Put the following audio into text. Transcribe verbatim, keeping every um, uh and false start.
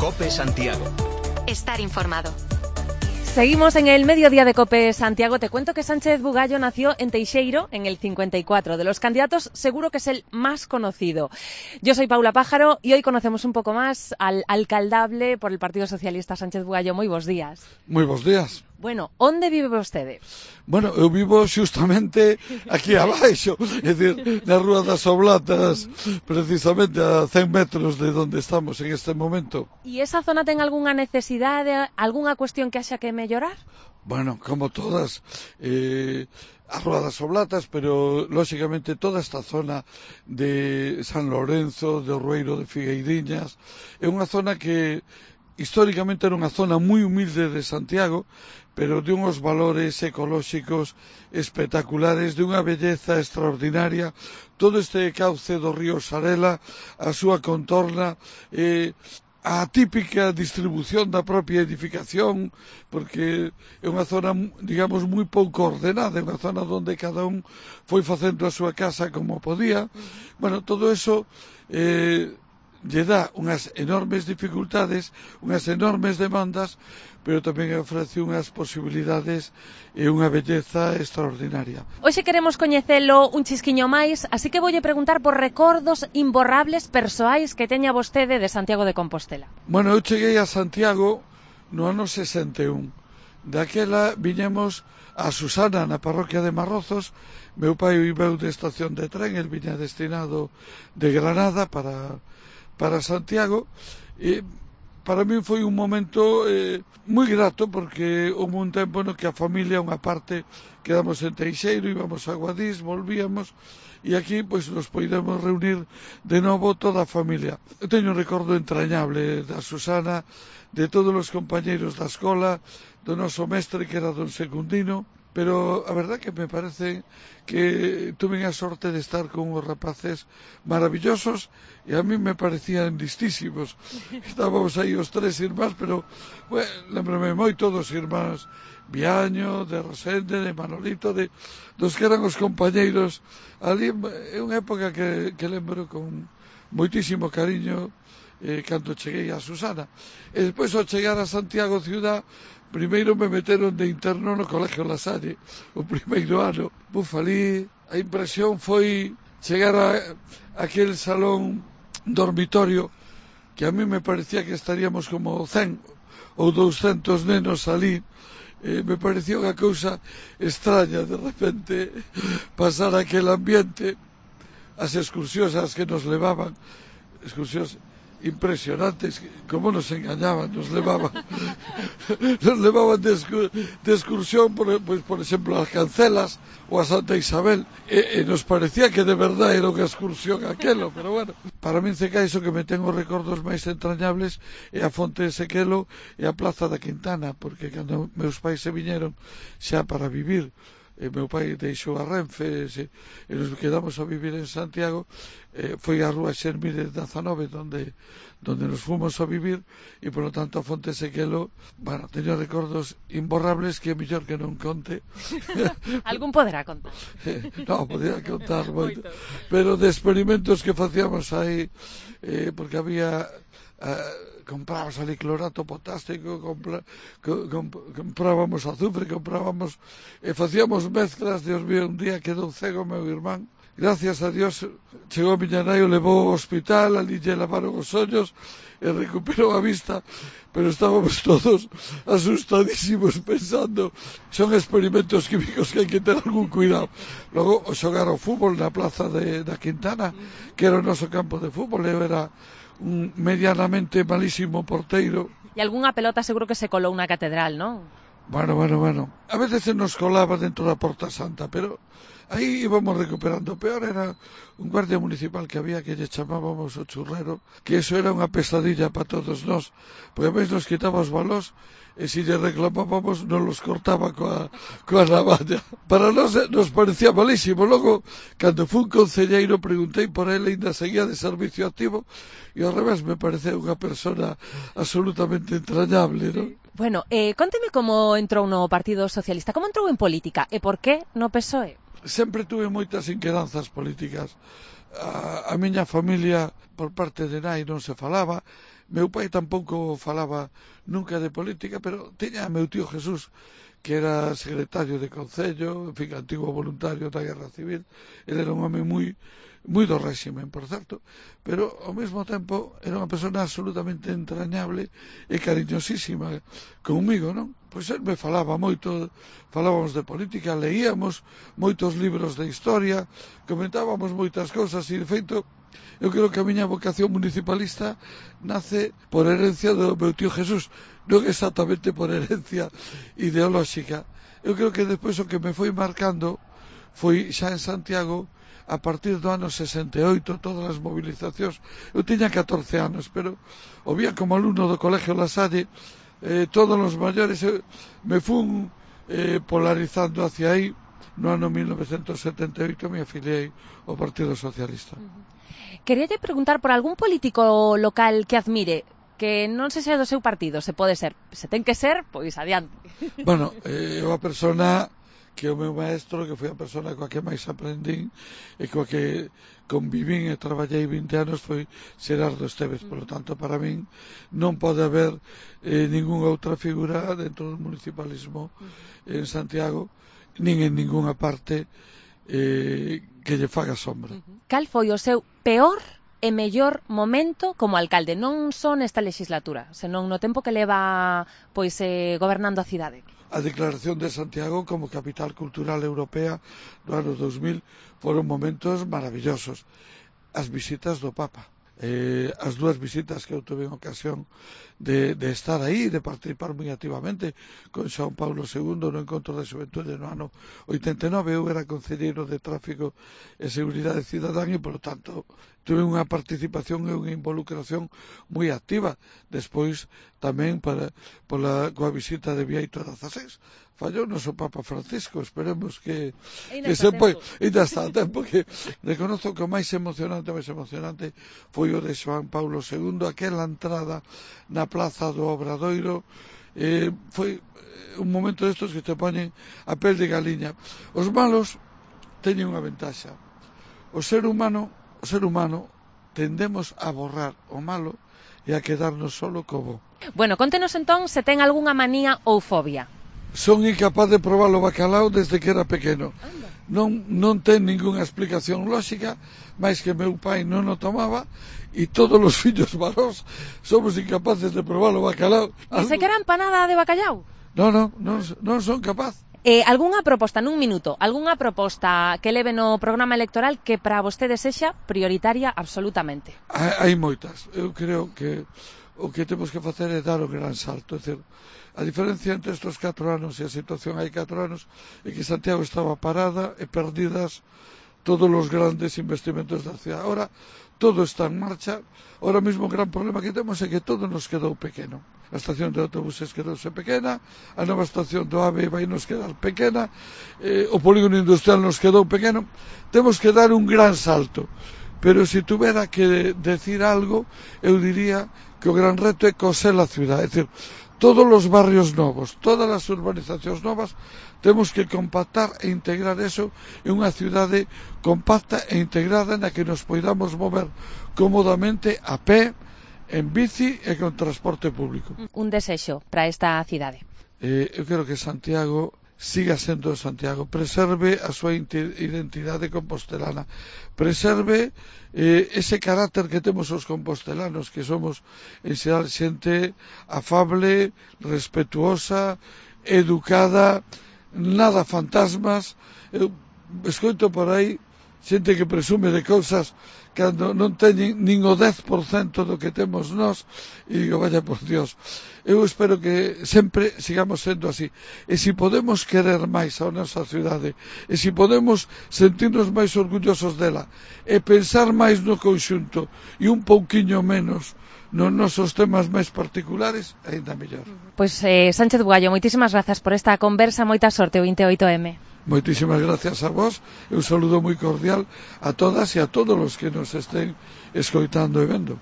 COPE Santiago. Estar informado. Seguimos en el mediodía de COPE Santiago. Te cuento que Sánchez Bugallo nació en Teixeiro en el cincuenta y cuatro. De los candidatos seguro que es el más conocido. Yo soy Paula Pájaro y hoy conocemos un poco más al alcaldable por el Partido Socialista, Sánchez Bugallo. Moi bons días. Moi bons días. Bueno, onde vive vostede? Bueno, eu vivo xustamente aquí abaixo, é dicir, na Rúa das Oblatas, precisamente a cen metros de onde estamos en este momento. E esa zona ten algunha necesidade, algunha cuestión que haxa que mellorar? Bueno, como todas, eh, a Rúa das Oblatas, pero lóxicamente toda esta zona de San Lorenzo, de Rueiro de Figueiriñas, é unha zona que históricamente era unha zona moi humilde de Santiago, pero de uns valores ecolóxicos espectaculares, de unha belleza extraordinaria. Todo este cauce do río Sarela, a súa contorna, eh, a típica distribución da propia edificación, porque é unha zona, digamos, moi pouco ordenada, é unha zona onde cada un foi facendo a súa casa como podía. Bueno, todo eso eh, lle dá unhas enormes dificultades, unhas enormes demandas, pero tamén ofrece unhas posibilidades e unha belleza extraordinaria. Hoxe queremos coñecelo un chisquiño máis, así que voulle preguntar por recordos imborrables persoais que teña vostede de Santiago de Compostela. Bueno, eu cheguei a Santiago no ano sesenta e un. Daquela viñemos a Susana na parroquia de Marrozos. Meu pai veu de estación de tren, el viña destinado de Granada para para Santiago, e para min foi un momento eh, moi grato, porque houve un tempo no que a familia, unha parte, quedamos en Teixeiro, íbamos a Guadix, volvíamos, e aquí pois nos podemos reunir de novo toda a familia. Eu teño un recordo entrañable da Susana, de todos os compañeiros da escola, do noso mestre que era don Secundino, pero a verdad que me parece que tuve a sorte de estar con uns rapaces maravillosos e a mí me parecían listísimos. Estábamos aí os tres irmáns, pero bueno, lembrame moito dos irmáns Viaño, de Rosende, de Manolito, de, dos que eran os compañeiros. Ali é unha época que, que lembro con moitísimo cariño eh, cando cheguei a Susana. E despois, ao chegar a Santiago ciudad, primeiro me meteron de interno no Colegio La Salle, o primeiro ano. Bufalí, a impresión foi chegar a, a aquel salón dormitorio que a mí me parecía que estaríamos como cen ou douscentos nenos ali. Eh, me parecía unha cousa extraña de repente pasar aquel ambiente, as excursións as que nos levaban, excursións impresionantes, como nos engañaban, nos levaban nos levaban de, excu de excursión por, pues, por exemplo, as Cancelas ou a Santa Isabel, e, e nos parecía que de verdade era unha excursión aquelo, pero bueno, para min se iso que me ten os recordos máis entrañables é a Fonte de Sequelo e a Plaza da Quintana, porque cando meus pais se viñeron xa para vivir, e meu pai deixou a Renfe e, e nos quedamos a vivir en Santiago, eh, foi a Rúa Xermídez dezanove donde, donde nos fomos a vivir, e polo tanto a Fonte Sequelo, bueno, teño recordos imborrables que é mellor que non conte. Algún poderá contar. Non, podría contar moito, pero de experimentos que facíamos aí, eh, porque había eh, comprábamos ali clorato potásico, compra, comp, comprábamos azufre, comprábamos e facíamos mezclas. Dios mío, un día quedou cego meu irmán, gracias a Dios chegou a miña nai, o levou ao hospital, ali lle lavaron os ollos e recuperou a vista, pero estábamos todos asustadísimos pensando, son experimentos químicos que hai que ter algún cuidado. Logo, o xogar ao fútbol na plaza de, da Quintana, que era o noso campo de fútbol, eu era un medianamente malísimo porteiro. E algunha pelota seguro que se colou na catedral, non? Bueno, bueno, bueno. A veces se nos colaba dentro da Porta Santa, pero aí íbamos recuperando. O peor era un guardia municipal que había, que lle chamábamos o churrero, que eso era unha pesadilla para todos nós, porque a veces nos quitaba os balós e se lle reclamábamos nos los cortaba coa, coa navalla. Para nós nos parecía malísimo. Logo, cando fui un concelleiro, preguntei por ele, ainda seguía de servicio activo, e ao revés me pareceu unha persona absolutamente entrañable, non? Bueno, eh, conteme como entrou no Partido Socialista, como entrou en política e por que no P S O E? Sempre tuve moitas inquedanzas políticas. A, a miña familia por parte de nai non se falaba, meu pai tampouco falaba nunca de política, pero tiña meu tío Jesús, que era secretario de Concello, en fin, antigo voluntario da Guerra Civil. Ele era un home moi moi do réximen, por certo, pero ao mesmo tempo era unha persona absolutamente entrañable e cariñosísima comigo, non? Pois ele me falaba moito, falábamos de política, leíamos moitos libros de historia, comentábamos moitas cousas e, de feito, eu creo que a miña vocación municipalista nace por herencia do meu tío Jesús, non exactamente por herencia ideolóxica. Eu creo que despois o que me foi marcando foi xa en Santiago, a partir do ano sesenta e oito, todas as movilizacións. Eu tiña catorce anos, pero o vía como alumno do Colegio La Salle, eh, todos os maiores, eu, me fun eh, polarizando hacia aí. No ano mil novecentos setenta e oito me afiliei ao Partido Socialista. Queríalle preguntar por algún político local que admire, que non se xa do seu partido, se pode ser. Se ten que ser, pois adiante. Bueno, eh, eu a persona que o meu maestro, que foi a persona coa que máis aprendín e coa que convivín e traballei vinte anos, foi Xerardo Esteves. Por lo tanto, para min non pode haber eh, ningunha outra figura dentro do municipalismo en Santiago, nin en ningunha parte eh, que lle faga sombra. Cal foi o seu peor e mellor momento como alcalde, non só nesta legislatura, senón no tempo que leva pois eh, gobernando a cidade? A declaración de Santiago como capital cultural europea no ano dos mil foron momentos maravillosos. As visitas do Papa, eh, as dúas visitas que eu tuve en ocasión de, de estar aí, de participar moi activamente con Xoán Paulo segundo no Encontro de Xuventude no ano oitenta e nove. Eu era concelleiro de Tráfico e Seguridade Cidadán e, por tanto, tuve unha participación e unha involucración moi activa. Despois, tamén, para, pola, coa visita de Bieito dezaseis, fallou o noso Papa Francisco. Esperemos que, que se poi, ainda está a tempo, que reconozo que o máis emocionante, o máis emocionante foi o de Xoán Paulo segundo, aquela entrada na Plaza do Obradoiro. Eh, foi un momento destos que te poñen a pel de galiña. Os malos teñen unha ventaxa. O ser humano, o ser humano tendemos a borrar o malo e a quedarnos solo co bo. Bueno, contenos entón se ten algunha manía ou fobia. Son incapaz de probar o bacalao desde que era pequeno. Non, non ten ningunha explicación lógica, máis que meu pai non o tomaba e todos os fillos varóns somos incapaces de probar o bacalao. E se quera empanada de bacallau? Non, non, non, non son capaz. Eh, algunha proposta, nun minuto, algunha proposta que leve no programa electoral que para vostede sexa prioritaria absolutamente? Hai, hai moitas. Eu creo que o que temos que facer é dar o gran salto. É dicir, a diferencia entre estes catro anos e a situación hai catro anos é que Santiago estaba parada e perdidas todos os grandes investimentos da cidade. Ahora todo está en marcha. Ahora mesmo o gran problema que temos é que todo nos quedou pequeno. A estación de autobuses quedouse pequena, a nova estación do AVE vai nos quedar pequena, eh, o polígono industrial nos quedou pequeno. Temos que dar un gran salto. Pero se tuvera que decir algo, eu diría que o gran reto é coser a cidade. É dicir, todos os barrios novos, todas as urbanizacións novas, temos que compactar e integrar eso en unha cidade compacta e integrada na que nos poidamos mover cómodamente a pé, en bici e con transporte público. Un desexo para esta cidade. Eh, eu quero que Santiago siga sendo Santiago, preserve a súa identidade compostelana, preserve eh, ese carácter que temos os compostelanos, que somos en xeral xente afable, respetuosa, educada, nada fantasmas. Eu escoito por aí xente que presume de cousas cando non teñen nin o dez por cento do que temos nós, e digo, vaya por Dios. Eu espero que sempre sigamos sendo así, e se podemos querer máis a nosa cidade, e se podemos sentirnos máis orgullosos dela, e pensar máis no conxunto e un pouquiño menos nos nosos temas máis particulares, ainda mellor. Pois eh, Sánchez Bugallo, moitísimas grazas por esta conversa, moita sorte o vinte e oito eme. Moitísimas gracias a vos, e un saludo moi cordial a todas e a todos os que nos estén escoitando e vendo.